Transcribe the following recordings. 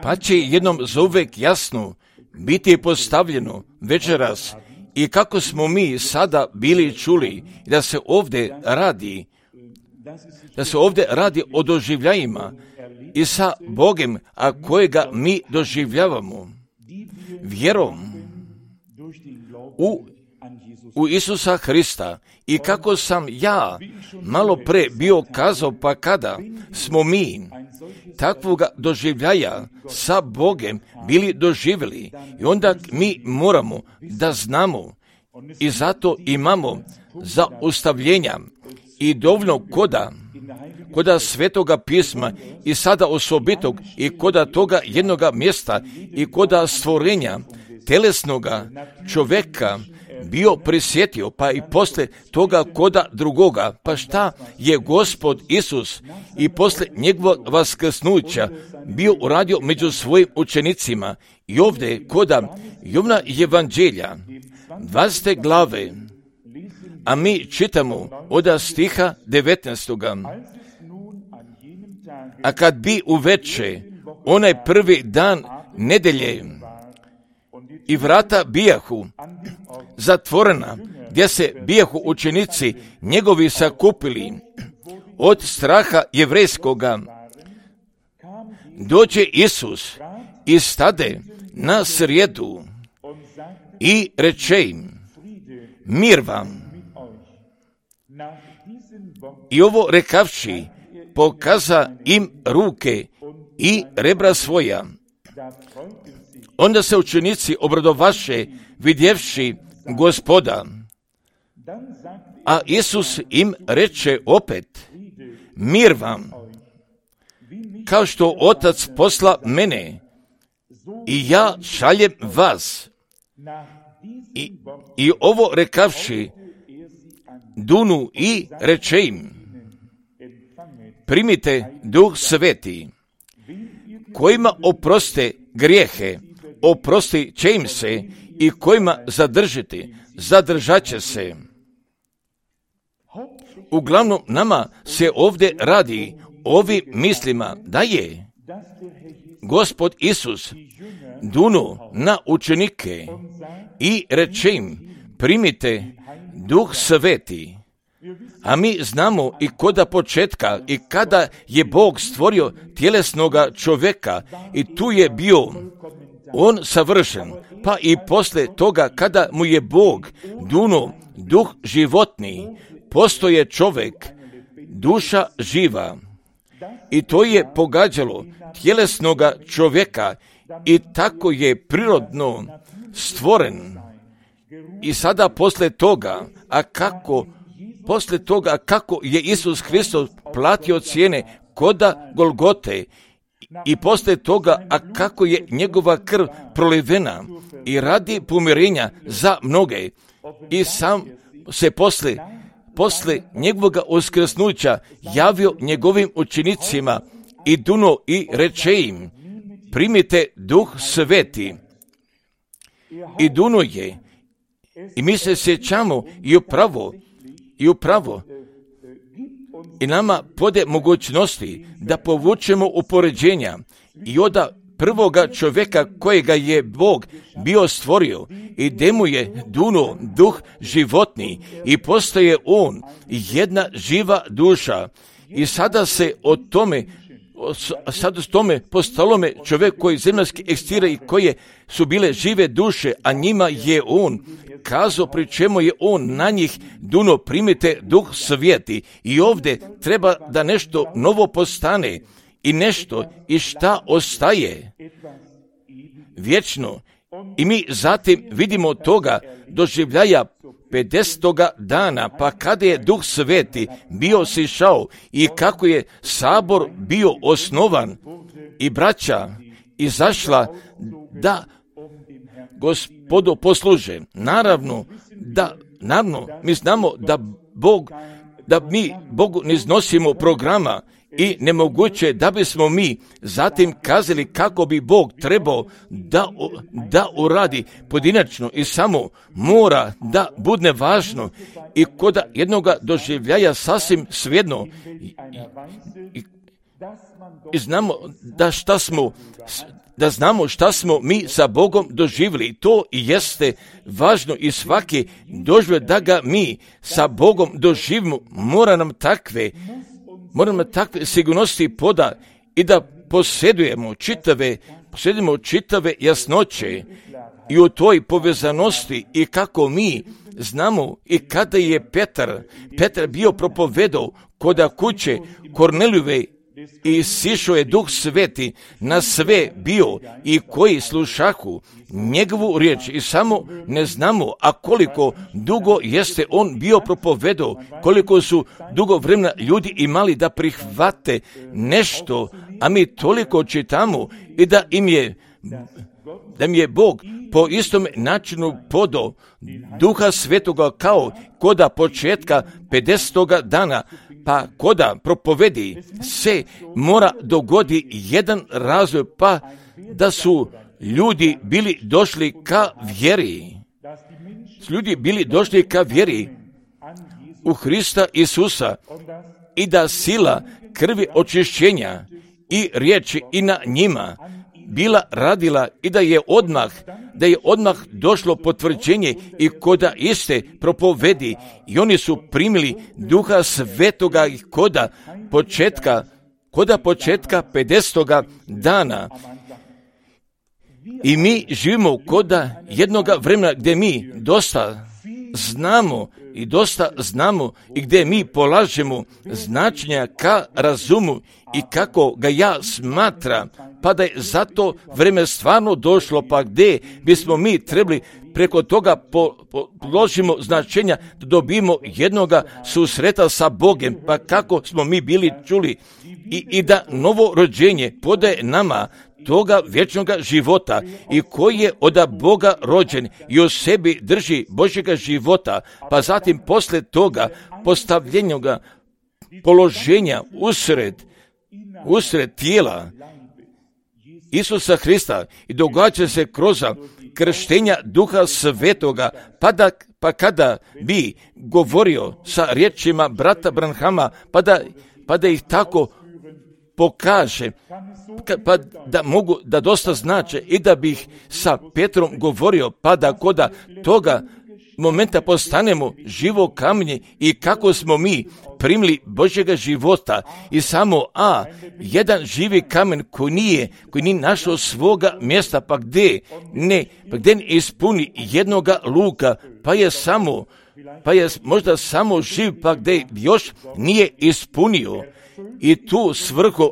Pa će jednom zauvek jasno biti postavljeno večeras i kako smo mi sada bili čuli da se ovdje radi o doživljajima i sa Bogem, a kojega mi doživljavamo vjerom u Isusa Hrista. I kako sam ja malo pre bio kazao, pa kada smo mi takvoga doživljaja sa Bogem bili doživjeli, i onda mi moramo da znamo i zato imamo zaustavljenja i dovoljno koda Svetoga pisma i sada osobitog i koda toga jednoga mjesta i koda stvorenja telesnoga čoveka bio prisjetio, pa i posle toga koda drugoga, pa šta je Gospod Isus i posle njegovog vaskrsnuća bio uradio među svojim učenicima. I ovdje koda Jovana Evanđelja 20. glave, a mi čitamo od stiha 19. A kad bi uveče onaj prvi dan nedelje i vrata bijahu zatvorena, gdje se bijahu učenici njegovi sakupili od straha jevrejskoga, dođe Isus i stade na srijedu i reče im: mir vam. I ovo rekavši, pokaza im ruke i rebra svoja. Onda se učenici obradovaše vidjevši Gospoda. A Isus im reče opet: mir vam. Kao što Otac posla mene, i ja šaljem vas. I ovo rekavši, dunu i reče im: primite Duh Sveti. Kojima oproste grijehe, oprosti će im se, i kojima zadržat će se. Uglavnom nama se ovdje radi ovim mislima da je Gospod Isus duno na učenike i reče im: primite Duh Sveti. A mi znamo i koda početka i kada je Bog stvorio tjelesnoga čovjeka i tu je bio on savršen, pa i posle toga kada mu je Bog duno duh životni, postoje čovjek, duša živa. I to je pogađalo tjelesnoga čovjeka i tako je prirodno stvoren. I sada posle toga, kako je Isus Hristos platio cijene koda Golgote, i posle toga, a kako je njegova krv prolivena i radi pomirenja za mnoge, i sam se posle njegovog uskrsnuća javio njegovim učenicima i duno i reče im: primite Duh Sveti. I duno je, i mi se sjećamo i upravo i nama pode mogućnosti da povučemo upoređenja i od prvoga čovjeka kojega je Bog bio stvorio i gdje mu je duno duh životni i postaje on jedna živa duša. I sada se s tome postalome čovjek koji zemaljski ekstira i koje su bile žive duše, a njima je on kazao, pri čemu je on na njih duno: primite Duh Sveti. I ovdje treba da nešto novo postane i nešto i šta ostaje vječno. I mi zatim vidimo toga doživljaja 50. dana, pa kada je Duh Sveti bio sišao i kako je sabor bio osnovan i braća izašla da Gospodu posluže. Naravno, mi znamo da mi Bogu ne iznosimo programa i nemoguće da bismo mi zatim kazali kako bi Bog trebao da uradi pojedinačno, i samo mora da bude važno i kod jednoga doživljaja sasvim svejedno. i znamo da znamo šta smo mi sa Bogom doživjeli. To i jeste važno i svaki doživlje da ga mi sa Bogom doživimo, mora nam takve sigurnosti poda i da posjedujemo čitave jasnoće i u toj povezanosti i kako mi znamo i kada je Petar bio propovedao koda kuće Kornelijove i sišao je Duh Sveti na sve bio i koji slušahu njegovu riječ i samo ne znamo, a koliko dugo jeste on bio propovedao, koliko su dugo vremena ljudi imali da prihvate nešto, a mi toliko čitamo i da im je Bog po istom načinu podao Duha Svetoga kao koda početka 50. dana, pa koda propovedi se mora dogodi jedan razvoj, pa da su ljudi bili došli ka vjeri u Hrista Isusa i da sila krvi očišćenja i riječi i na njima bila radila i da je odmah došlo potvrđenje i koda iste propovedi i oni su primili Duha Svetoga i koda početka 50. dana. I mi živimo koda jednoga vremena gdje mi dosta znamo i gdje mi polažemo značenja ka razumu i kako ga ja smatram, pa da je zato vreme stvarno došlo, pa gdje bismo mi trebali preko toga položimo značenja da dobijemo jednoga susreta sa Bogem, pa kako smo mi bili čuli i da novo rođenje podaje nama toga vječnoga života i koji je od Boga rođen i u sebi drži Božjega života, pa zatim posle toga postavljenjoga položenja usred tijela Isusa Hrista i događa se kroz krštenja Duha Svetoga, pa kada bi govorio sa riječima brata Branhama, pa da ih tako pokaže, pa da mogu da dosta znače i da bih sa Petrom govorio, pa da koda toga momenta postanemo živo kamenje i kako smo mi primili Božjega života i samo jedan živi kamen koji nije našao svoga mjesta, pa gdje ne ispuni jednoga luka, pa je možda samo živ, pa gdje još nije ispunio i tu svrhu,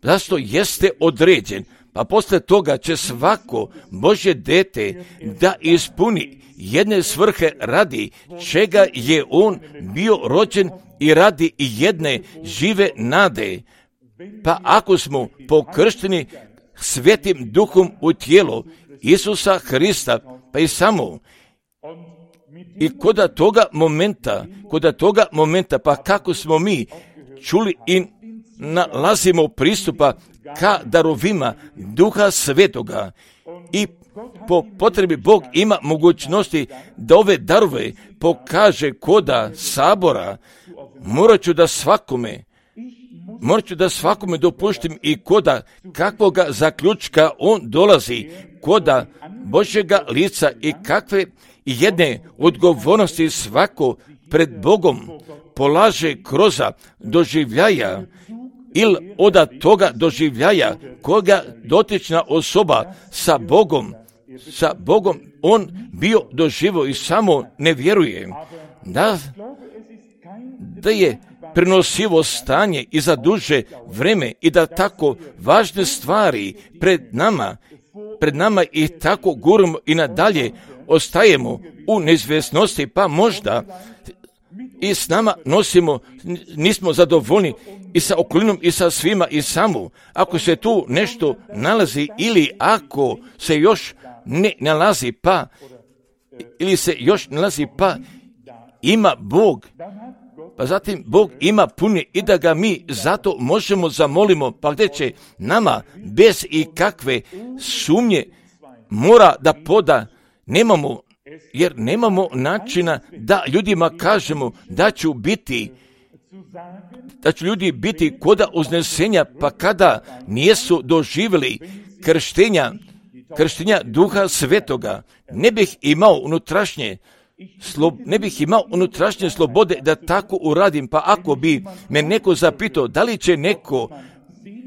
zašto jeste određen? Pa posle toga će svako Božje dete da ispuni jedne svrhe radi čega je on bio rođen i radi jedne žive nade. Pa ako smo pokršteni Svetim Duhom u tijelo Isusa Hrista, pa i samo i koda toga momenta, pa kako smo mi čuli i nalazimo pristupa ka darovima Duha Svetoga i po potrebi Bog ima mogućnosti da ove darove pokaže koda sabora. Morat ću da svakome dopuštim i koda kakvoga zaključka on dolazi, koda Božjega lica i kakve jedne odgovornosti svako pred Bogom polaže kroz doživljaja ili od toga doživljaja koga dotična osoba sa Bogom on bio doživio i samo ne vjeruje da je prenosivo stanje i za duže vreme i da tako važne stvari pred nama i tako guramo i nadalje ostajemo u neizvjesnosti, pa možda i s nama nismo zadovoljni i sa okolinom i sa svima i samo. Ako se tu nešto nalazi ili ako se još ne nalazi pa ima Bog, pa zatim Bog ima puno i da ga mi zato možemo zamolimo, pa gdje će nama bez ikakve sumnje mora da poda, nemamo načina da ljudima kažemo da ću biti da će ljudi biti koda uznesenja, pa kada nijesu doživjeli krštenja Duha Svetoga, ne bih imao unutrašnje slobode da tako uradim. Pa ako bi me neko zapitao da li će neko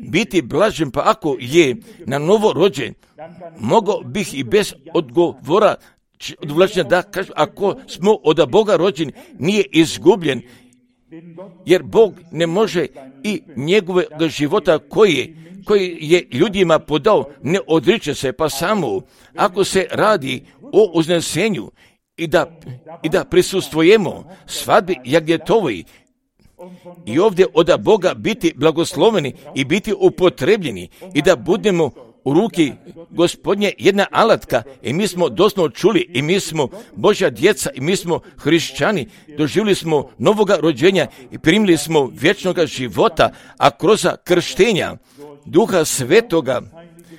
biti blažen, pa ako je na novo rođen, mogao bih i bez odgovora odvlačenja da kažem, ako smo od Boga rođeni, nije izgubljen, jer Bog ne može i njegove života koji je ljudima podao, ne odriče se, pa samo ako se radi o uznesenju i da prisustvujemo svadbi Jagnetovoj i ovdje od Boga biti blagosloveni i biti upotrebljeni i da budemo u ruki Gospodnje jedna alatka i mi smo doslovno čuli i mi smo Božja djeca i mi smo hrišćani, doživjeli smo novoga rođenja i primili smo vječnoga života, a kroz krštenja Duha Svetoga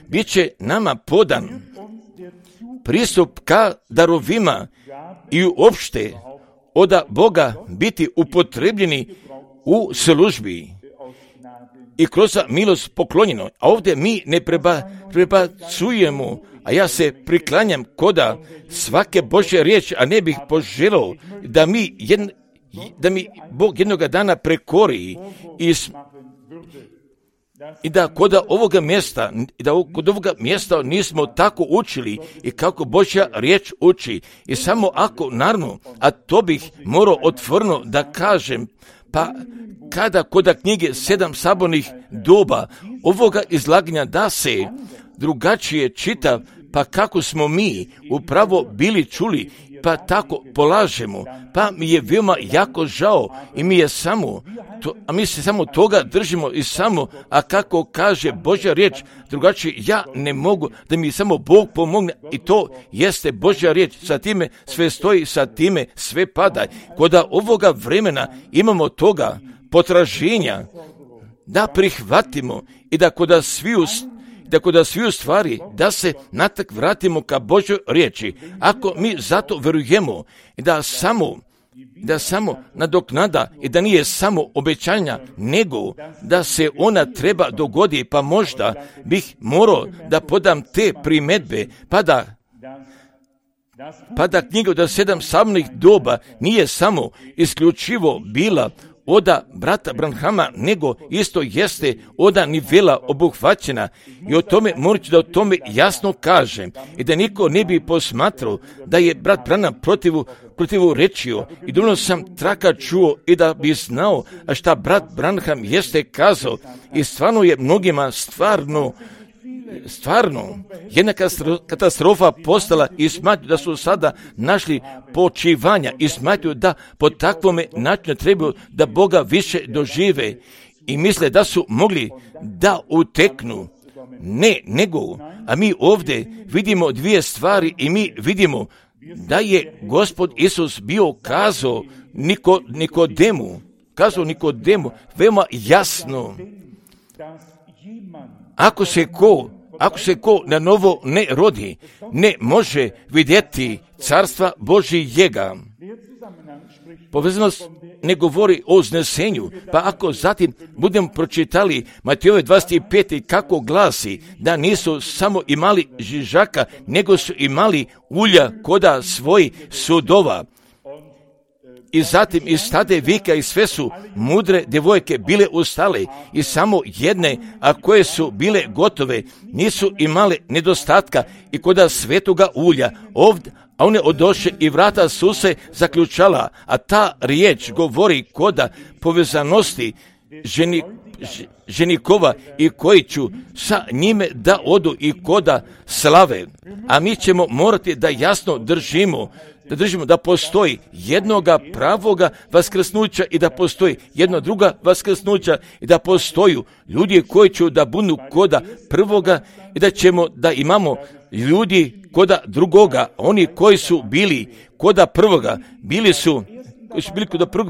bit će nama podan pristup ka darovima i uopšte od Boga biti upotrebljeni u službi i kroz milost poklonjeno. A ovdje mi ne prebacujemo, a ja se priklanjam koda svake Božje riječi, a ne bih poželao da mi Bog jednoga dana prekori i da kod ovoga mjesta nismo tako učili i kako Božja riječ uči. I samo ako, naravno, a to bih morao otvoreno da kažem, pa kada kod knjige 7 sabornih doba ovoga izlaganja da se drugačije čita, pa kako smo mi upravo bili čuli, pa tako polažemo, pa mi je veoma jako žao i mi se samo toga držimo i samo, a kako kaže Božja riječ, drugačije ja ne mogu, da mi samo Bog pomogne i to jeste Božja riječ, sa time sve stoji, sa time sve pada. Kod ovoga vremena imamo toga potraženja da prihvatimo i da kod sviju stvari da se natak vratimo ka Božoj riječi. Ako mi zato verujemo da samo nadoknada i da nije samo obećanja, nego da se ona treba dogodi, pa možda bih morao da podam te primjedbe, pa da knjiga od 7 sabornih doba nije samo isključivo bila oda brata Branhama, nego isto jeste oda nivela obuhvaćena i o tome morat ću da o tome jasno kažem i da niko ne bi posmatrao da je brat Branham protivu rečio i dovoljno sam traka čuo i da bi znao šta brat Branham jeste kazao i stvarno je mnogima stvarno jedna katastrofa postala i smatruju da su sada našli počivanja i smatruju da po takvome načinu trebaju da Boga više dožive i misle da su mogli da uteknu. Ne, nego, a mi ovdje vidimo dvije stvari i mi vidimo da je Gospod Isus bio kazao Nikodemu veoma jasno, ako se ko na novo ne rodi, ne može vidjeti carstva Božijega. Povezanost ne govori o uznesenju, pa ako zatim budemo pročitali Matejove 25. kako glasi da nisu samo imali žižaka, nego su imali ulja koda svojih sudova. I zatim iz stade vika i sve su mudre djevojke bile ustale i samo jedne, a koje su bile gotove, nisu imale nedostatka i koda svetoga ulja, a one odoše i vrata su se zaključala, a ta riječ govori koda povezanosti ženikova i koji ću sa njime da odu i koda slave. A mi ćemo morati da jasno držimo da postoji jednoga pravoga vaskrsnuća i da postoji jedno druga vaskrsnuća i da postoji ljudi koji će da budu koda prvoga i da imamo ljudi koda drugoga. Oni koji su bili koda prvoga,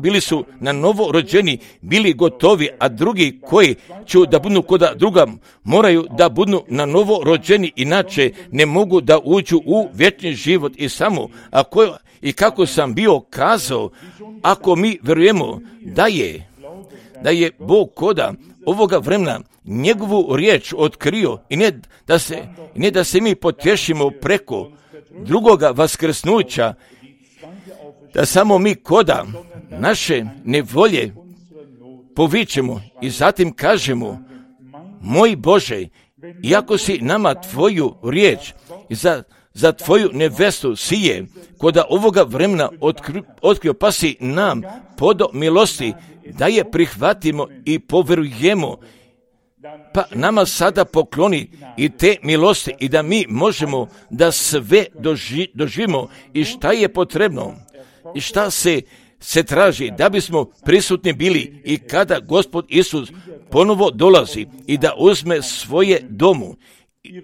bili su na novo rođeni, bili gotovi, a drugi koji će da budu koda druga moraju da budu na novo rođeni, inače ne mogu da uđu u vječni život. I kako sam bio kazao, ako mi verujemo da je da je Bog koda ovoga vremena njegovu riječ otkrio i ne da se mi potješimo preko drugoga vaskrsnuća, da samo mi koda naše nevolje povičemo i zatim kažemo: moj Bože, iako si nama tvoju riječ i za tvoju nevestu sije koda ovoga vremena otkrio, pa si nam podao milosti da je prihvatimo i poverujemo, pa nama sada pokloni i te milosti i da mi možemo da sve doživimo i šta je potrebno i šta se traži da bismo prisutni bili i kada Gospod Isus ponovo dolazi i da uzme svoje domu.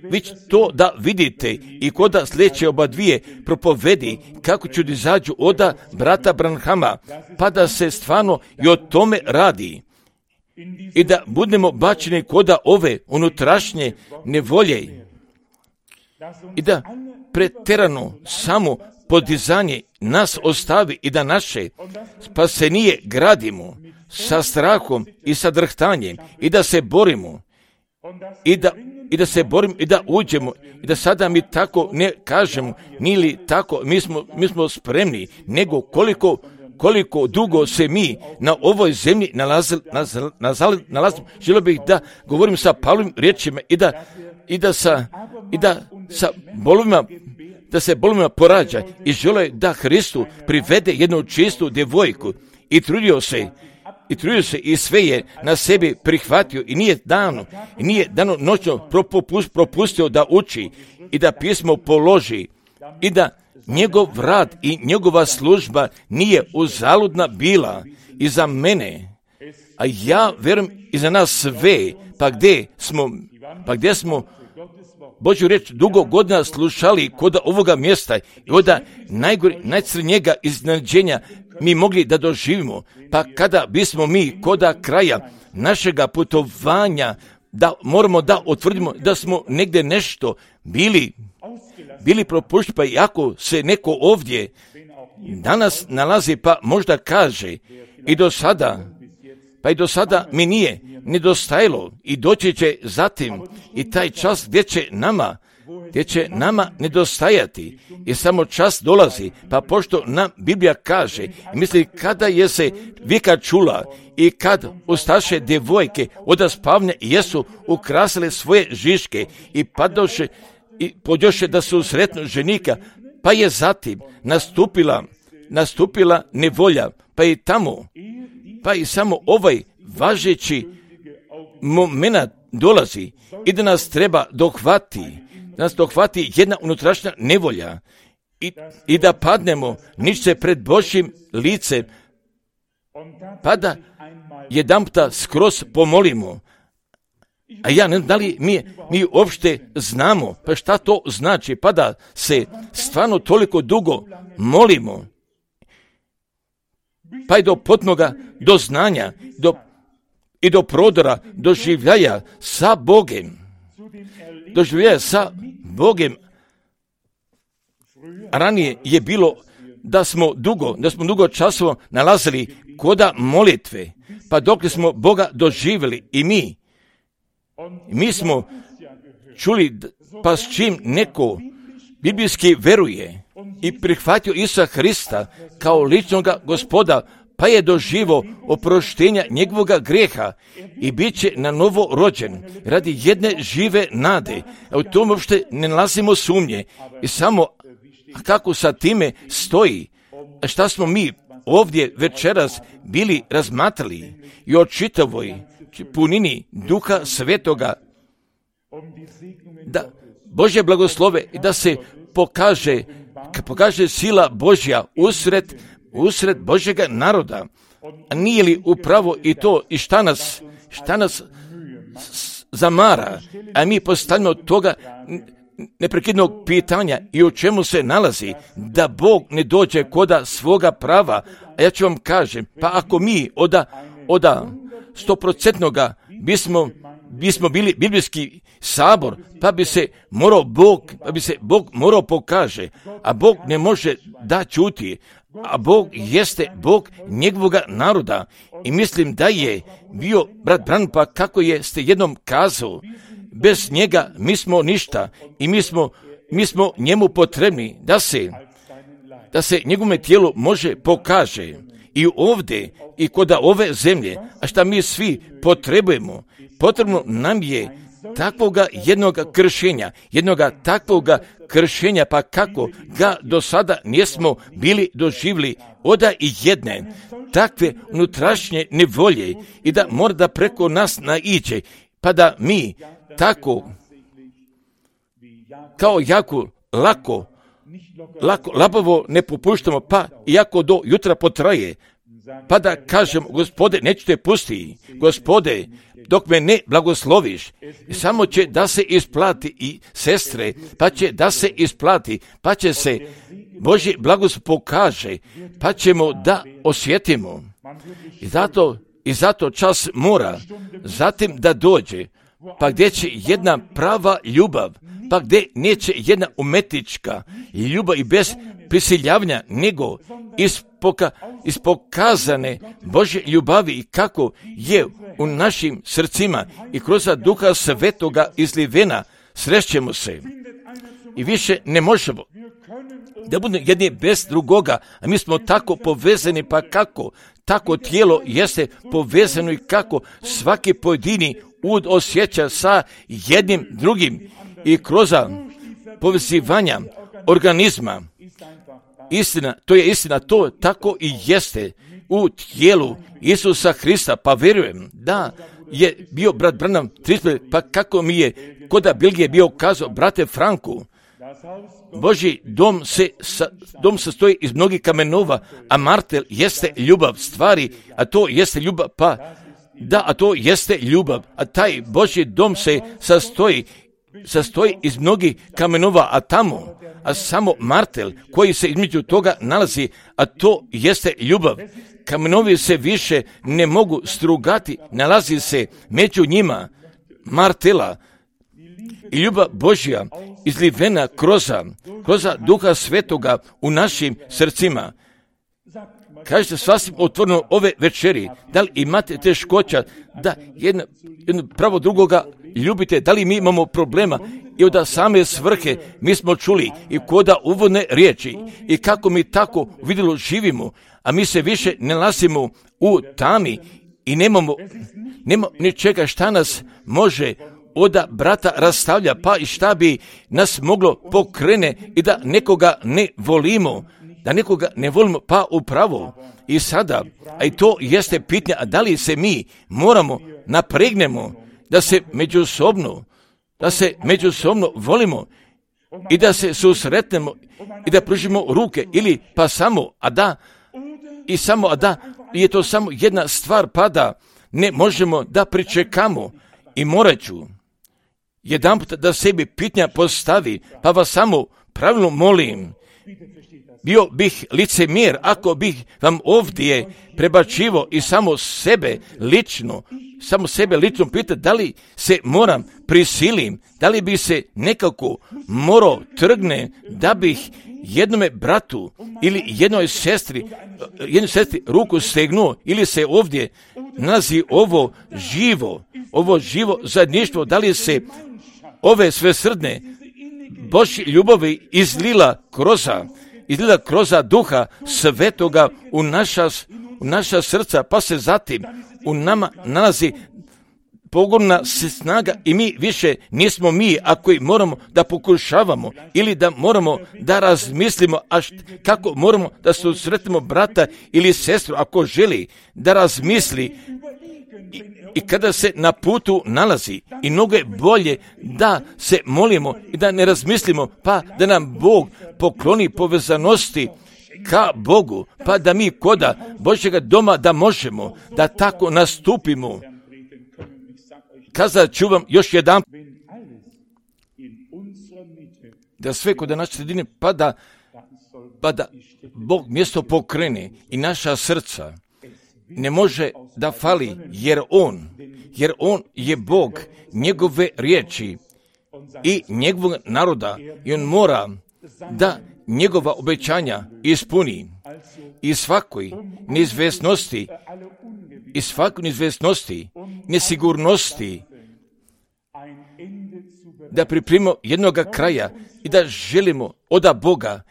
Već to da vidite i koda sljedeće oba dvije propovedi kako ću da izađu od brata Branhama, pa da se stvarno i o tome radi i da budemo bačeni koda ove unutrašnje nevolje i da pretjerano samo podizanje nas ostavi i da naše spasenije gradimo sa strahom i sa drhtanjem i da se borimo i da se borimo i da uđemo i da sada mi tako ne kažemo, nili tako mi smo spremni, nego koliko dugo se mi na ovoj zemlji nalazimo. Želio bih da govorim sa Pavlovim riječima i da sa bolovima, da se bolovima porađa i žele da Hristu privede jednu čistu djevojku i trudio se i sve je na sebi prihvatio i nije dano noćno propustio da uči i da pismo položi i da njegov rad i njegova služba nije uzaludna bila i za mene, a ja vjerujem i za nas sve, pa gdje smo Božju riječ dugo godina slušali kod ovoga mjesta i od najcrnjega iznenađenja mi mogli da doživimo, pa kada bismo mi koda kraja našega putovanja da moramo da utvrdimo da smo negdje nešto bili propušteni, pa i ako se neko ovdje danas nalazi pa možda kaže i do sada mi nije nedostajalo i doći će zatim i taj čas gdje će nama nedostajati i samo čas dolazi, pa pošto nam Biblija kaže i misli kada je se vika čula i kad ustaše djevojke od spavnja jesu ukrasile svoje žiške i padoše i pođoše da su sretno ženika, pa je zatim nastupila nevolja, pa i samo ovaj važeći moment dolazi i da nas treba dohvati jedna unutrašnja nevolja i da padnemo niče pred Božjim licem, pa da jedanputa skroz pomolimo. A ja ne znam da li mi uopšte znamo pa šta to znači, pa da se stvarno toliko dugo molimo, pa i do potpunoga doznanja i do prodora doživljaja sa Bogem. Ranije je bilo da smo dugo časova nalazili koda molitve, pa dok smo Boga doživjeli i mi smo čuli, pa s čim neko biblijski veruje i prihvatio Isusa Hrista kao ličnoga Gospoda, pa je doživo oproštenja njegovoga grijeha i bit će na novo rođen radi jedne žive nade. A u tom uopšte ne nalazimo sumnje i samo kako sa time stoji, šta smo mi ovdje večeras bili razmatrali i o čitavoj punini Duha Svetoga, da Božje blagoslove i da se pokaže sila Božja usred Božjega naroda. A nije li upravo i to i šta nas zamara, a mi postavljamo toga neprekidnog pitanja i u čemu se nalazi da Bog ne dođe koda svoga prava. A ja ću vam kažem, pa ako mi od 100% bismo bili biblijski sabor, pa bi se Bog morao pokaže, a Bog ne može da ćuti, a Bog jeste Bog njegovoga naroda. I mislim da je bio brat Branham, pa kako ste jednom kazao, bez njega mi smo ništa i mi smo njemu potrebni da se njegovome tijelu može pokaže i ovdje i kod ove zemlje, a šta mi svi potrebujemo. Potrebno nam je takvoga jednoga takvoga kršenja, pa kako ga do sada nismo bili doživjeli, oda i jedne takve unutrašnje nevolje i da mora da preko nas naiđe, pa da mi tako kao jako labavo ne popuštamo, pa iako do jutra potraje, pa da kažemo, Gospode, neću te pustiti, Gospode, dok me ne blagosloviš, samo će da se isplati i sestre, pa će da se isplati, pa će se Božji blagoslov pokaže, pa ćemo da osjetimo. I zato čas mora zatim da dođe, pa gdje će jedna prava ljubav, pa gdje neće jedna umetnička ljubav i bez prisiljavanja, nego iz pokazane Božje ljubavi i kako je u našim srcima i kroz Duha Svetoga izlivena, srećemo se. I više ne možemo da budemo jedni bez drugoga, a mi smo tako povezani, pa kako tako tijelo jeste povezano i kako svaki pojedini ud osjeća sa jednim drugim i kroz povezivanja organizma. Istina, to je istina, to tako i jeste u tijelu Isusa Hrista, pa vjerujem da je bio brat Branham 30, pa kako mi je kod Belgije bio kazao, brate Franku, Božji dom sastoji iz mnogih kamenova, a martel jeste ljubav stvari, a to jeste ljubav, pa da, a to jeste ljubav, a taj Božji dom se sastoji iz mnogih kamenova, a samo martel koji se između toga nalazi, a to jeste ljubav. Kamenovi se više ne mogu strugati, nalazi se među njima martela i ljubav Božja izlivena kroz Duha Svetoga u našim srcima. Kažete sasvim otvoreno ove večeri, da li imate teškoća da jedno pravo drugoga ljubite, da li mi imamo problema i od same svrhe mi smo čuli i koda uvodne riječi i kako mi tako vidjelo živimo, a mi se više ne nalazimo u tami i nema ničega šta nas može od brata rastavlja, pa i šta bi nas moglo pokrene i da nekoga ne volimo, pa upravo i sada, a i to jeste pitanje, a da li se mi moramo napregnemo da se međusobno volimo i da se susretnemo i da pružimo ruke ili pa samo, a da je to samo jedna stvar, pa da ne možemo da pričekamo i morat ću jedanput da sebi pitanja postavi, pa vas samo pravilno molim, bio bih licemjer ako bih vam ovdje prebačivo i samo sebe lično pitati da li se moram prisilim, da li bi se nekako morao trgne da bih jednome bratu ili jednoj sestri ruku stegnuo ili se ovdje nalazi ovo živo zajedništvo, da li se ove svesrdne Božje ljubavi izlila kroz Duha Svetoga u naša srca, pa se zatim u nama nalazi pogorna snaga i mi više nismo mi, ako i moramo da pokušavamo ili da moramo da razmislimo kako moramo da susretimo brata ili sestru ako želi da razmisli i kada se na putu nalazi i mnogo je bolje da se molimo i da ne razmislimo, pa da nam Bog pokloni povezanosti ka Bogu, pa da mi koda Božjega doma da možemo da tako nastupimo. Kazat ću vam još jedan, da sve kod naše sredine pa da Bog mjesto pokrene i naša srca ne može da fali, jer on je Bog njegove riječi i njegovog naroda i on mora da njegova obećanja ispuni. i svakoj neizvjesnosti, nesigurnosti, da pripremimo jednoga kraja i da želimo od Boga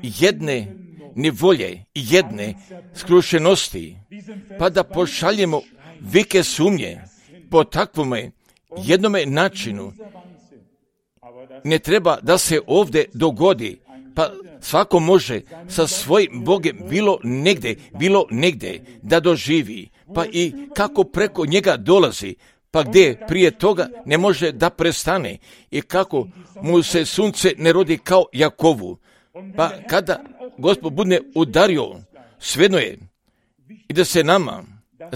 jedne nevolje, jedne skrušenosti, pa da pošaljemo vike sumnje po takvome jednome načinu. Ne treba da se ovdje dogodi, pa svako može sa svojim Bogem bilo negdje da doživi, pa i kako preko njega dolazi, pa gdje prije toga ne može da prestane i kako mu se sunce ne rodi kao Jakovu. Pa kada Gospod bude udario, svejedno je i da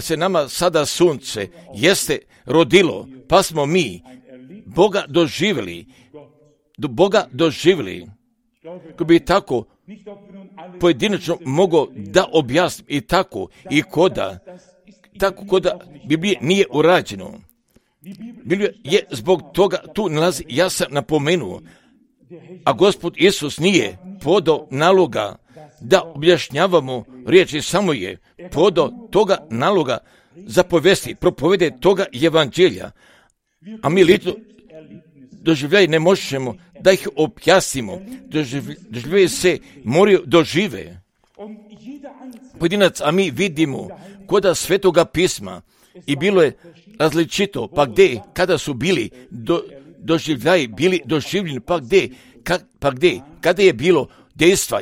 se nama sada sunce jeste rodilo, pa smo mi Boga doživjeli, ko bi tako pojedinačno mogao da objasnim i tako koda Biblije nije urađeno. Biblija je zbog toga tu nalazi, ja sam napomenuo, a Gospod Isus nije podao naloga da objašnjavamo riječi, samo je podao toga naloga zapovesti, propovede toga evanđelja, a mi lično doživljaj ne možemo da ih objasnimo, doživljaj se moraju dožive. Pojedinac, a mi vidimo koda Svetoga pisma i bilo je različito, pa gdje, kada su bili doživljaji, bili doživljeni, pa gdje, kada je bilo dejstva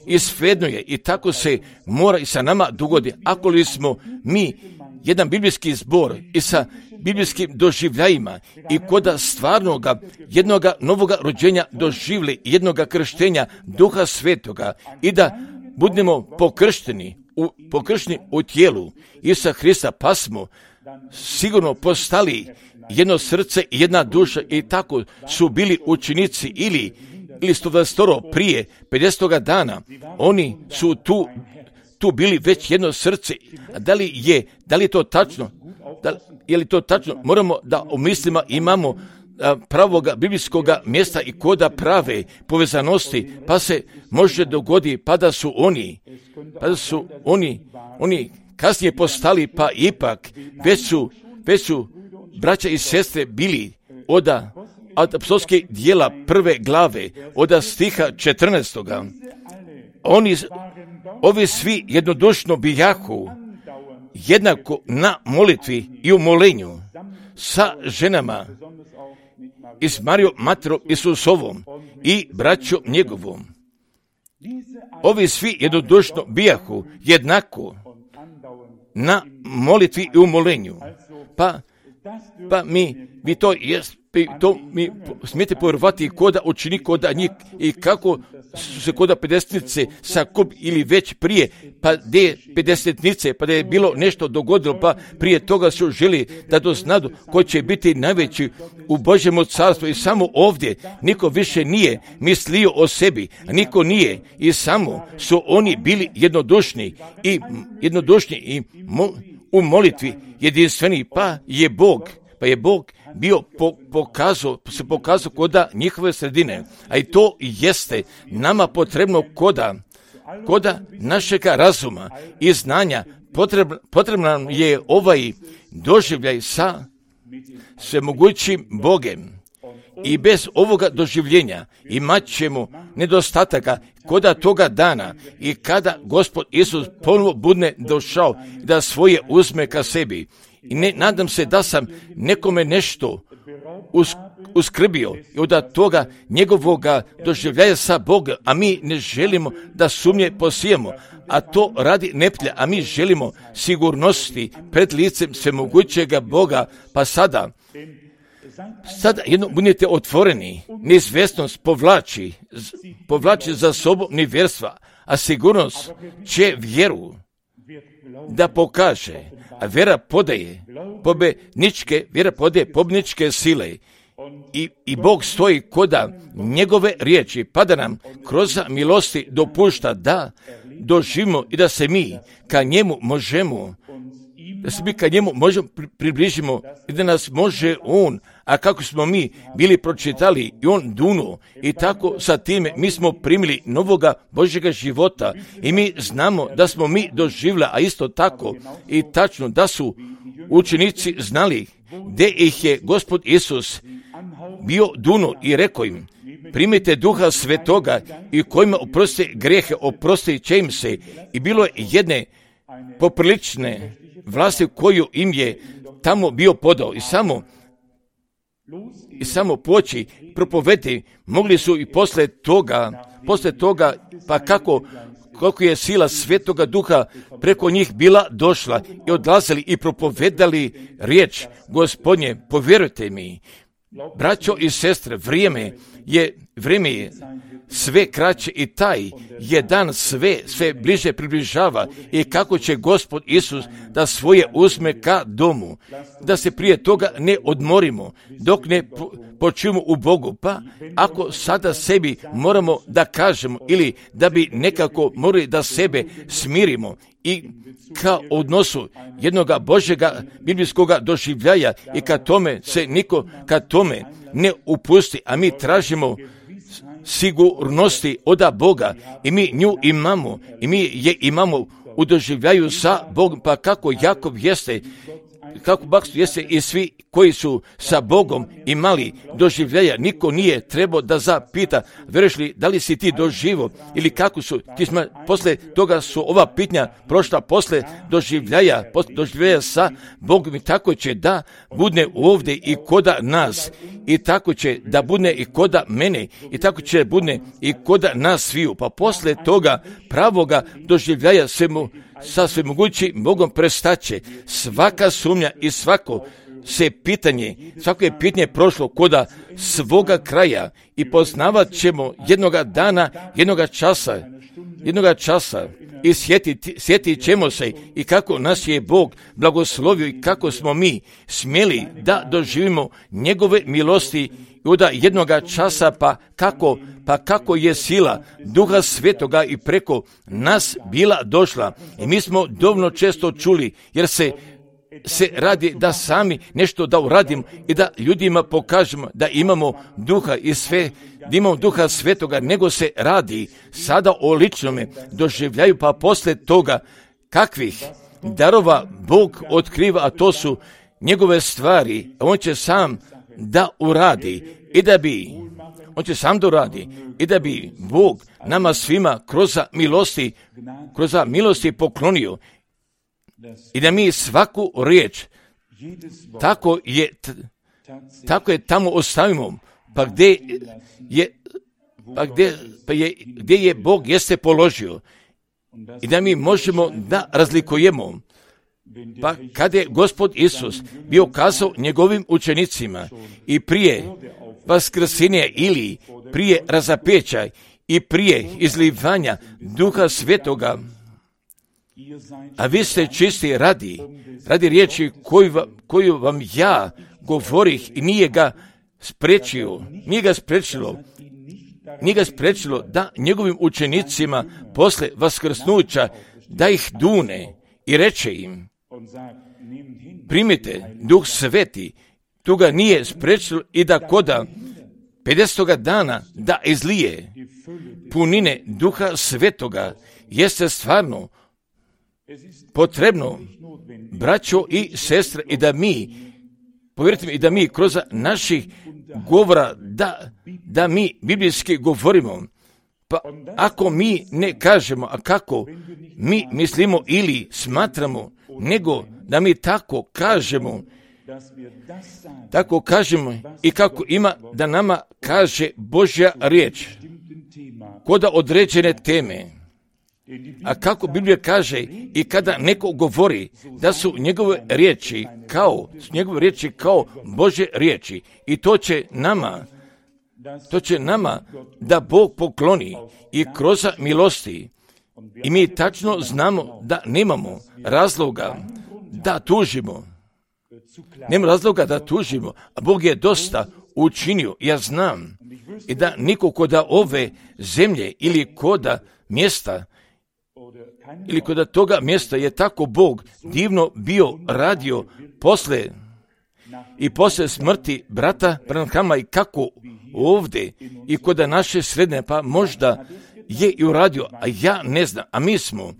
i svejedno je i tako se mora i sa nama dogodi. Ako li smo mi jedan biblijski zbor i sa biblijskim doživljajima i koda stvarnoga jednoga novoga rođenja doživli, jednoga krštenja Duha Svetoga i da budemo pokršteni u tijelu Isusa Hrista, pa smo sigurno postali jedno srce i jedna duša i tako su bili učenici ili 120 prije 50. dana. Oni su tu bili već jedno srce. Da li je to tačno? Je li to tačno? Moramo da u mislima imamo pravoga biblijskoga mjesta i koda prave povezanosti, pa se može dogoditi pa da su oni kasnije postali, pa ipak već su braća i sestre bili od apostolskih djela 1. glave, od stiha 14. Ovi svi jednodušno bijahu jednako na molitvi i u molenju sa ženama i s Marijom materom Isusovom i braćom njegovom. Ovi svi jednodušno bijahu jednako na molitvi i u molenju. Pa mi to smijete povjerovati koda učini koda njih i kako su se koda 50-nice sakup ili već prije, pa gdje 50-nice, pa da je bilo nešto dogodilo, pa prije toga su želi da doznadu ko će biti najveći u Božjem carstvu i samo ovdje niko više nije mislio o sebi, a niko nije i samo su oni bili jednodušni i u molitvi jedinstveni, pa je Bog bio pokazao koda njihove sredine, a i to jeste nama potrebno koda našega razuma i znanja, potrebno je ovaj doživljaj sa svemogućim Bogem. I bez ovoga doživljenja imat ćemo nedostataka koda toga dana i kada Gospod Isus ponovo bude došao da svoje uzme ka sebi. I nadam se da sam nekome nešto uskrbio i od toga njegovoga doživljaja sa Bogom, a mi ne želimo da sumnje posijemo, a to radi neprijatelj, a mi želimo sigurnosti pred licem svemogućega Boga, pa sada jedno budete otvoreni, neizvjesnost povlači za sobom nevjerstva, a sigurnost će vjeru da pokaže, a vjera podaje pobjedničke sile i Bog stoji koda njegove riječi, pa da nam kroz milosti dopušta da doživimo i da se mi ka njemu možemo da se mi ka njemu možemo približimo i da nas može on, a kako smo mi bili pročitali i on dunuo i tako sa time mi smo primili novoga Božjega života i mi znamo da smo mi doživjeli, a isto tako i tačno da su učenici znali gdje ih je Gospod Isus bio dunuo i rekao im: primite Duha Svetoga i kojima oprostite grijehe, oprostit će im se. I bilo je jedne poprilične vlasti koju im je tamo bio podao i samo poći propovedi mogli su i posle toga pa koliko je sila Svetoga Duha preko njih bila došla i odlazili i propovedali riječ Gospodnje. Povjerujte mi, braćo i sestre, vrijeme je sve kraće i taj je dan sve bliže približava i kako će Gospod Isus da svoje uzme ka domu, da se prije toga ne odmorimo dok ne počujemo u Bogu. Pa ako sada sebi moramo da kažemo ili da bi nekako morali da sebe smirimo i ka odnosu jednoga Božjega biblijskoga doživljaja i ka tome se niko ka tome ne upusti, a mi tražimo sigurnosti od Boga i mi nju imamo i mi je imamo u doživljaju sa Bogom, pa kako Jakov jeste, kako Bakstu jeste i svi koji su sa Bogom imali doživljaja, niko nije trebao da zapita: vjeruješ li da li si ti doživo ili kako su ti smo, posle toga su ova pitanja prošla posle doživljaja sa Bogom i tako će da bude ovdje i koda nas i tako će da bude i koda mene i tako će bude i koda nas sviju. Pa posle toga pravoga doživljaja sa svemogućim Bogom prestaće svaka sumnja i svako je pitanje prošlo koda svoga kraja i poznavat ćemo jednoga dana, jednoga časa i sjetit ćemo se i kako nas je Bog blagoslovio i kako smo mi smjeli da doživimo njegove milosti i od jednoga časa pa kako je sila Duha Svetoga i preko nas bila došla. I mi smo dovoljno često čuli, jer se radi da sami nešto da uradimo i da ljudima pokažemo da imamo duha i sve, da imamo Duha Svetoga, nego se radi sada o ličnome doživljaju, pa posle toga kakvih darova Bog otkriva, a to su njegove stvari, on će sam da uradi i da bi Bog nama svima kroz milosti poklonio i da mi svaku riječ tako je tamo ostavimo, gdje je Bog jeste položio i da mi možemo da razlikujemo. Pa kad je Gospod Isus bio kazao njegovim učenicima i prije vaskrsenja ili prije razapeća i prije izlivanja Duha Svetoga, a vi ste čisti radi koju vam ja govorih i nije ga spriječilo da njegovim učenicima posle vaskrsnuća da ih dune i reče im: primite Duh Sveti. Tu ga nije spriječilo i da koda 50. dana da izlije punine Duha Svetoga jeste stvarno potrebno, braćo i sestre, i da mi, povjerite mi, i da mi kroz naših govora, da mi biblijski govorimo, pa ako mi ne kažemo, a kako mi mislimo ili smatramo, nego da mi tako kažemo i kako ima da nama kaže Božja riječ kod određene teme. A kako Biblija kaže, i kada neko govori da su njegove riječi kao Božje riječi, i to će nama da Bog pokloni i kroz milosti. I mi tačno znamo da nemamo razloga da tužimo. Nema razloga da tužimo, a Bog je dosta učinio. Ja znam i da niko koda ove zemlje ili koda mjesta ili kod toga mjesta je tako Bog divno bio radio poslije smrti brata Branhama i kako ovdje i kod naše srednje, pa možda je i uradio, a ja ne znam, a mi smo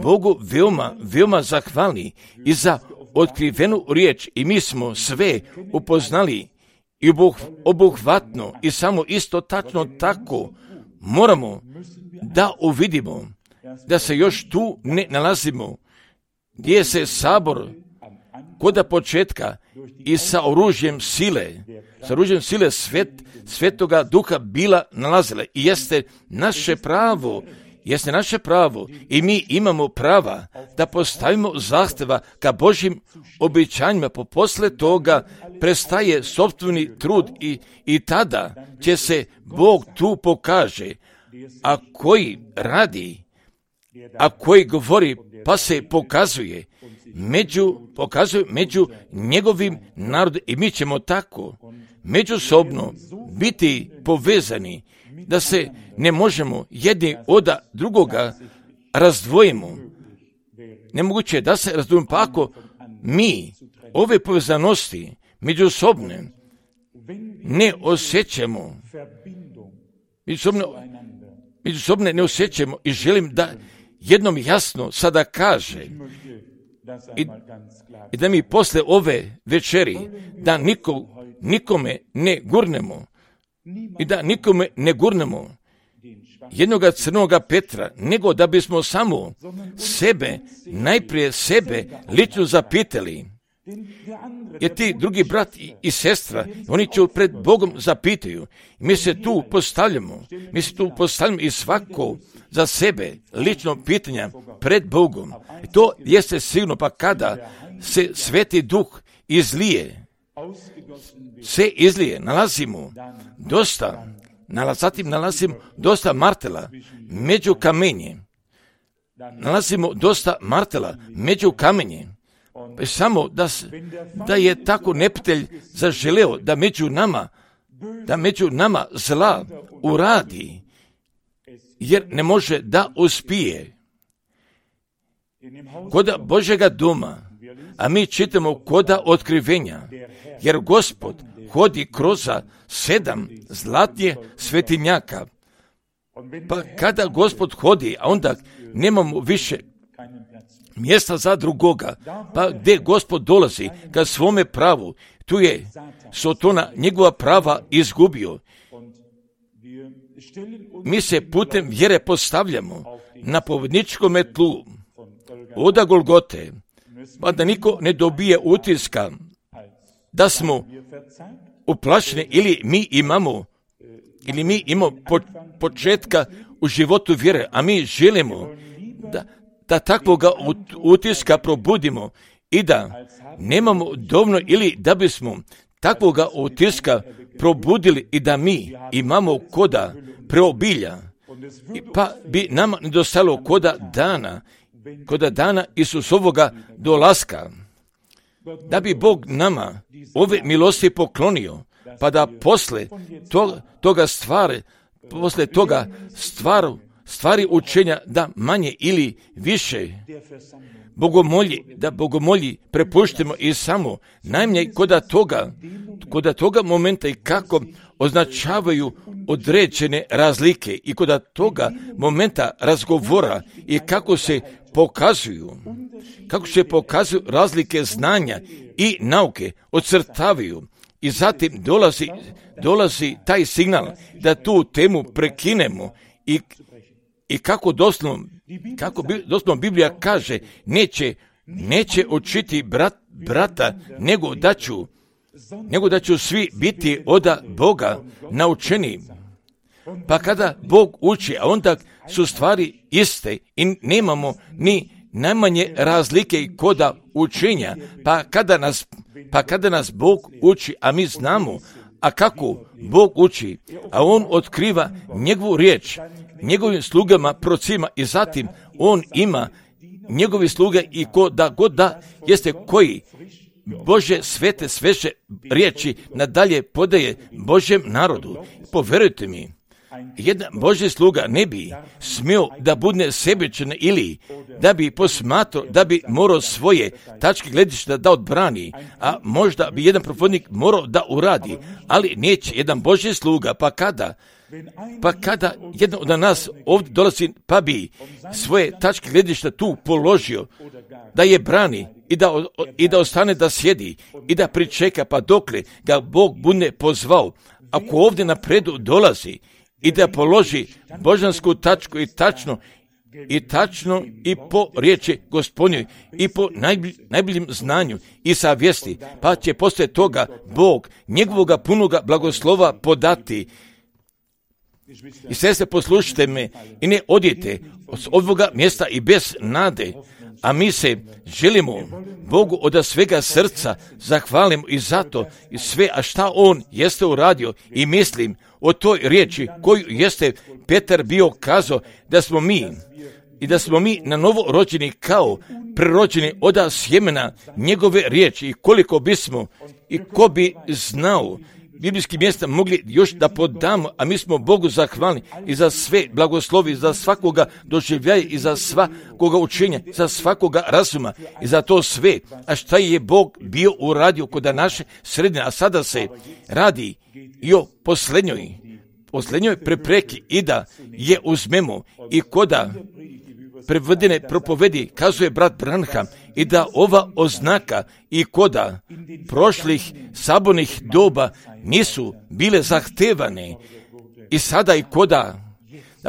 Bogu veoma, veoma zahvalni i za otkrivenu riječ i mi smo sve upoznali i obuhvatno i samo isto tačno tako moramo da uvidimo da se još tu ne nalazimo gdje se sabor kod početka i sa oružjem sile Svetoga Duha bila nalazila i jeste naše pravo i mi imamo prava da postavimo zahtjeva ka Božjim obećanjima, posle toga prestaje sopstveni trud i tada će se Bog tu pokaže, a koji radi, a koji govori pa se pokazuje među njegovim narodom i mi ćemo tako međusobno biti povezani da se ne možemo jedni od drugoga razdvojimo. Nemoguće je da se razdvojimo, pa ako mi ove povezanosti međusobne ne osjećamo, međusobne ne osjećamo i želim da jednom jasno sada kaže i da mi posle ove večeri da nikome ne gurnemo i da nikome ne gurnemo jednoga crnoga Petra, nego da bismo samo najprije sebe lično zapitali. Jer ti drugi brat i sestra, oni će pred Bogom zapitaju. Mi se tu postavljamo i svako za sebe lično pitanja pred Bogom. I to jeste sigurno, pa kada se Sveti Duh izlije, nalazimo dosta martela među kamenjem. Pa samo da je tako neprijatelj zaželeo da među nama zla uradi, jer ne može da uspije. Koda Božjega doma, a mi čitamo koda otkrivenja, jer Gospod hodi kroz 7 zlatnih svetinjaka. Pa kada Gospod hodi, a onda nemamo više mjesta za drugoga, pa gdje Gospod dolazi ka svome pravu, tu je Sotona njegova prava izgubio. Mi se putem vjere postavljamo na pobjedničkom tlu od Golgote, pa da niko ne dobije utiska da smo uplašeni ili mi imamo početka u životu vjere, a mi želimo da takvoga utiska probudimo i da nemamo dovoljno ili da bismo takvoga utiska probudili i da mi imamo koda preobilja, pa bi nama nedostalo koda dana Isusovoga dolaska, da bi Bog nama ove milosti poklonio, pa da posle toga stvari učenja da manje ili više bogomolji prepuštimo i samo najmanje koda toga momenta i kako označavaju određene razlike i koda toga momenta razgovora i kako se pokazuju razlike znanja i nauke, ocrtavaju i zatim dolazi taj signal da tu temu prekinemo i kako doslovno Biblija kaže, neće učiti brata, nego da ću svi biti od Boga naučeni. Pa kada Bog uči, a onda su stvari iste i nemamo ni najmanje razlike koda učenja, pa kada nas Bog uči, a mi znamo, a kako Bog uči, a On otkriva njegovu riječ njegovim slugama, procima i zatim On ima njegovi sluge i god da jeste koji Bože sveže riječi nadalje podaje Božjem narodu. Poverujte mi, jedan Božji sluga ne bi smio da bude sebičan ili da bi posmatrao, da bi morao svoje tačke gledišta da odbrani, a možda bi jedan propovjednik morao da uradi, ali neće jedan Božji sluga, pa kada jedan od nas ovdje dolazi, pa bi svoje tačke gledišta tu položio, da je brani i da ostane da sjedi i da pričeka, pa dokle ga Bog bude pozvao, ako ovdje napredu dolazi i da položi božansku tačku i tačno i po riječi Gospodnjoj i po najboljem znanju i savjesti, pa će poslije toga Bog njegovoga punoga blagoslova podati. I sestre, poslušajte me i ne odite od ovoga mjesta i bez nade, a mi se želimo Bogu od svega srca zahvalimo i zato i sve, a šta On jeste uradio, i mislim o toj riječi koju jeste Petar bio kazao, da smo mi na novo rođeni kao prerođeni od sjemena njegove riječi, i koliko bismo i ko bi znao biblijski mjesta mogli još da podamo, a mi smo Bogu zahvalni i za sve blagoslovi, za svakoga doživljaja i za svakoga učenja, za svakoga razuma i za to sve. A šta je Bog bio uradio kod naše sredine, a sada se radi i o posljednjoj prepreki i da je uzmemo i koda prevedene propovedi, kazuje brat Branham, i da ova oznaka i koda prošlih sabornih doba nisu bile zahtevane i sada i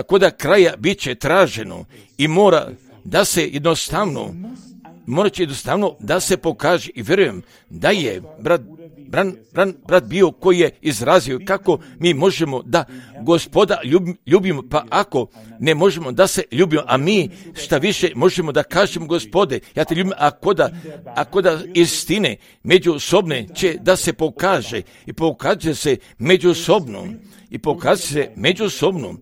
koda kraja bit će traženo i mora da se jednostavno da se pokaže, i vjerujem da je brat bio koji je izrazio kako mi možemo da Gospoda ljubimo, pa ako ne možemo da se ljubimo, a mi šta više možemo da kažemo, Gospode, ja te ljubim, ako da istine međusobne će da se pokaže i pokaže se međusobno,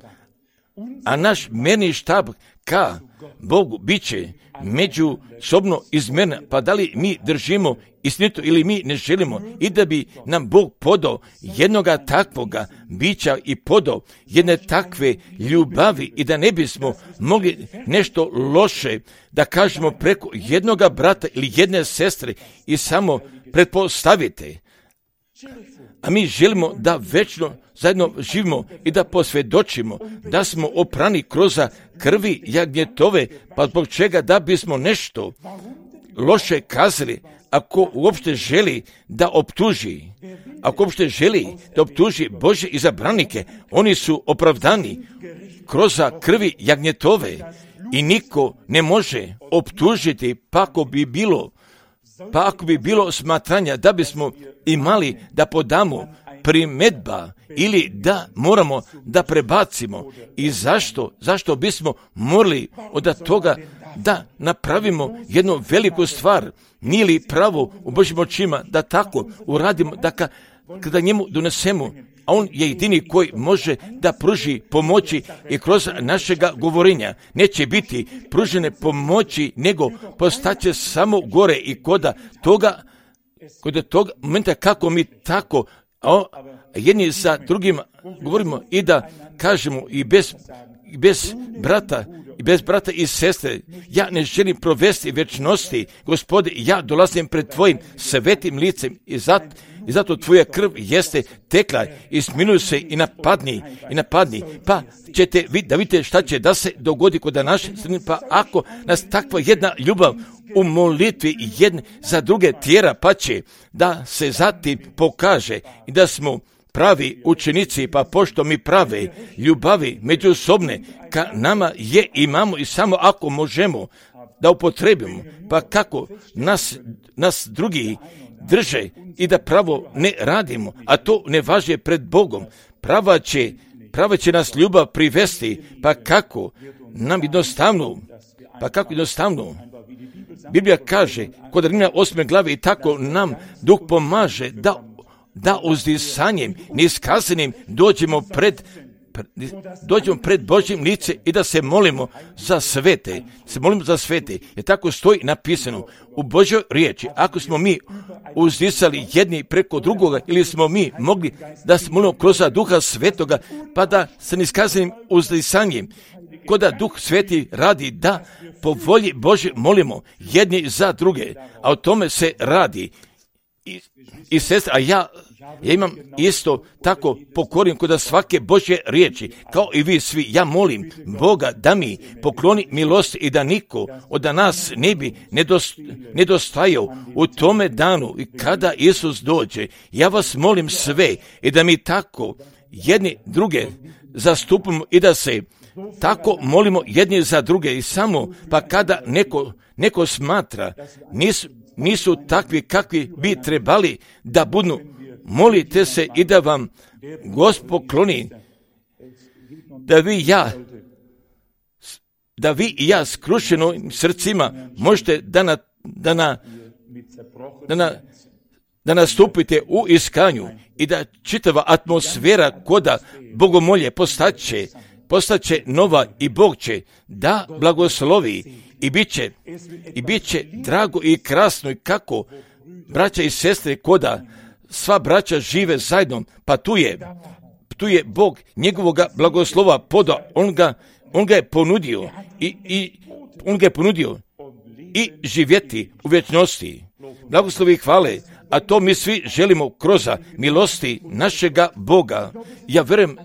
a naš merni štab ka Bogu bit će međusobno izmjerna, pa da li mi držimo istinitu ili mi ne želimo, i da bi nam Bog podao jednoga takvoga bića i podao jedne takve ljubavi i da ne bismo mogli nešto loše da kažemo preko jednoga brata ili jedne sestre i samo pretpostavite. A mi želimo da večno zajedno živimo i da posvjedočimo da smo oprani kroz krvi jagnjetove, pa zbog čega da bismo nešto loše kazali, ako uopšte želi da optuži Božje izabranike, oni su opravdani kroz krvi jagnjetove i niko ne može optužiti, pa ako bi bilo smatranja da bismo imali da podamo primedba ili da moramo da prebacimo, i zašto bismo morali od toga da napravimo jednu veliku stvar, nije li pravo u Božjim očima da tako uradimo, da kada njemu donesemo, a on je jedini koji može da pruži pomoći i kroz našega govorenja neće biti pružene pomoći, nego postaće samo gore i kod toga momenta kako mi tako jedni sa drugim govorimo i da kažemo i bez brata i sestre, ja ne želim provesti večnosti, Gospode, ja dolazim pred tvojim svetim licem i zato tvoja krv jeste tekla i smiluj se i napadni, pa ćete da vidite šta će da se dogodi kod naše sredine, pa ako nas takva jedna ljubav u molitvi jedne za druge tjera, pa će da se zatim pokaže i da smo pravi učenici, pa pošto mi prave ljubavi međusobne ka nama je imamo i samo ako možemo da upotrebimo, pa kako nas drugi drže i da pravo ne radimo, a to ne važi pred Bogom, prava će nas ljubav privesti, pa kako jednostavno Biblija kaže kod Rimljana 8. glave, i tako nam Duh pomaže da uzdisanjem neiskazanim dođemo dođemo pred Božjim lice i da se molimo za svete. Jer tako stoji napisano u Božjoj riječi. Ako smo mi uzdisali jedni preko drugoga ili smo mi mogli da se molimo kroz Duha Svetoga, pa da se iskazanim uzdisanjem, koda Duh Sveti radi da po volji Božje molimo jedni za druge, a o tome se radi. I sestra, a ja imam isto tako pokorim kod svake Božje riječi, kao i vi svi. Ja molim Boga da mi pokloni milost i da niko od nas ne bi nedostajao u tome danu i kada Isus dođe. Ja vas molim sve i da mi tako jedni druge zastupimo i da se tako molimo jedni za druge i samo pa kada neko smatra nisu takvi kakvi bi trebali da budu, molite se i da vam Gospod pokloni da vi i ja skrušenim srcima možete da nastupite u iskanju i da čitava atmosfera koda bogomolje postaće nova i Bog će da blagoslovi i bit će drago i krasno i kako braća i sestre koda sva braća žive zajedno, pa tu je Bog njegovoga blagoslova poda, on ga je ponudio i živjeti u vječnosti. Blagoslovi i hvale, a to mi svi želimo kroz milosti našega Boga. Ja vjerujem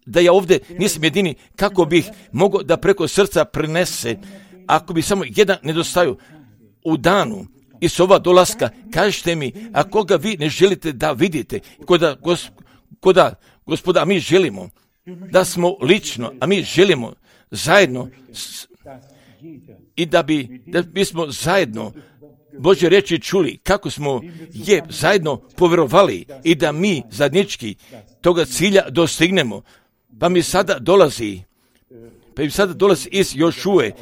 da ja ovdje nisam jedini kako bih mogao da preko srca prenese, ako bi samo jedan nedostaju u danu i s ova dolaska, kažete mi, a koga vi ne želite da vidite, koda Gospoda, mi želimo da smo lično, a mi želimo zajedno i da bismo zajedno Božje riječi čuli, kako smo je zajedno povjerovali i da mi zajednički toga cilja dostignemo. Pa mi sada dolazi iz Jošue,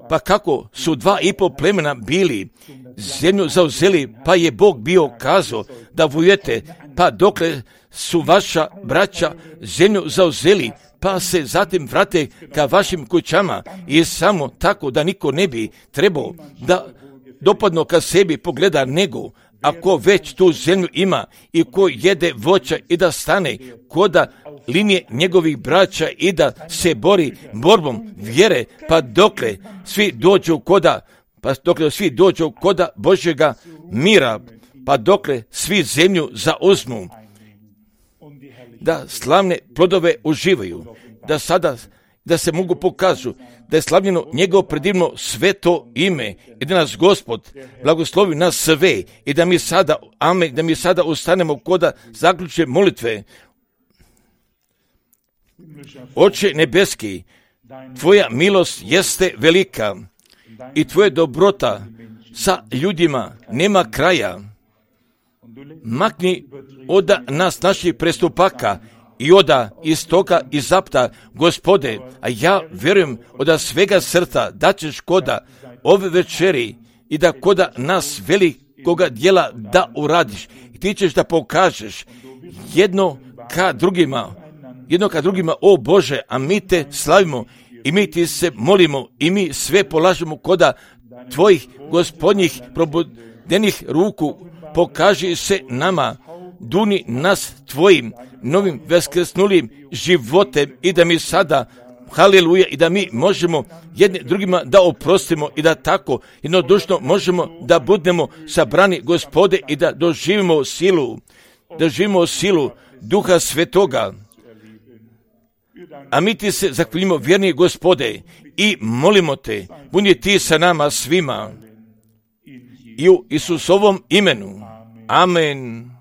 pa kako su 2,5 plemena bili zemlju zauzeli, pa je Bog bio kazao da vujete, pa dokle su vaša braća zemlju zauzeli, pa se zatim vrate ka vašim kućama i samo tako da niko ne bi trebao da dopadno ka sebi pogleda nego ako već tu zemlju ima i ko jede voća i da stane koda linije njegovih braća i da se bori borbom vjere, pa dokle svi dođu koda Božjega mira, pa dokle svi zemlju zauzmu, da slavne plodove uživaju, da se mogu pokažu da je slavljeno njegovo predivno sveto ime i da nas Gospod blagoslovi nas sve i da mi sada ustanemo koda zaključne molitve. Oče nebeski, tvoja milost jeste velika i tvoja dobrota sa ljudima nema kraja. Makni od nas naših prestupaka i oda iz toga i zapta, Gospode, a ja vjerujem od svega srca da ćeš koda ove večeri i da koda nas velikoga djela da uradiš. I ti ćeš da pokažeš jedno ka drugima, o Bože, a mi te slavimo i mi ti se molimo i mi sve polažemo koda tvojih gospodnjih probudenih ruku. Pokaži se nama, duni nas tvojim novim vaskrsnulim životem i da mi sada, haleluja, i da mi možemo jedni drugima da oprostimo i da tako jednodušno možemo da budemo sabrani, Gospode, i da doživimo silu Duha Svetoga. A mi ti se zahvaljujemo, vjerni Gospode, i molimo te, budi ti sa nama svima i u Isusovom imenu. Amen.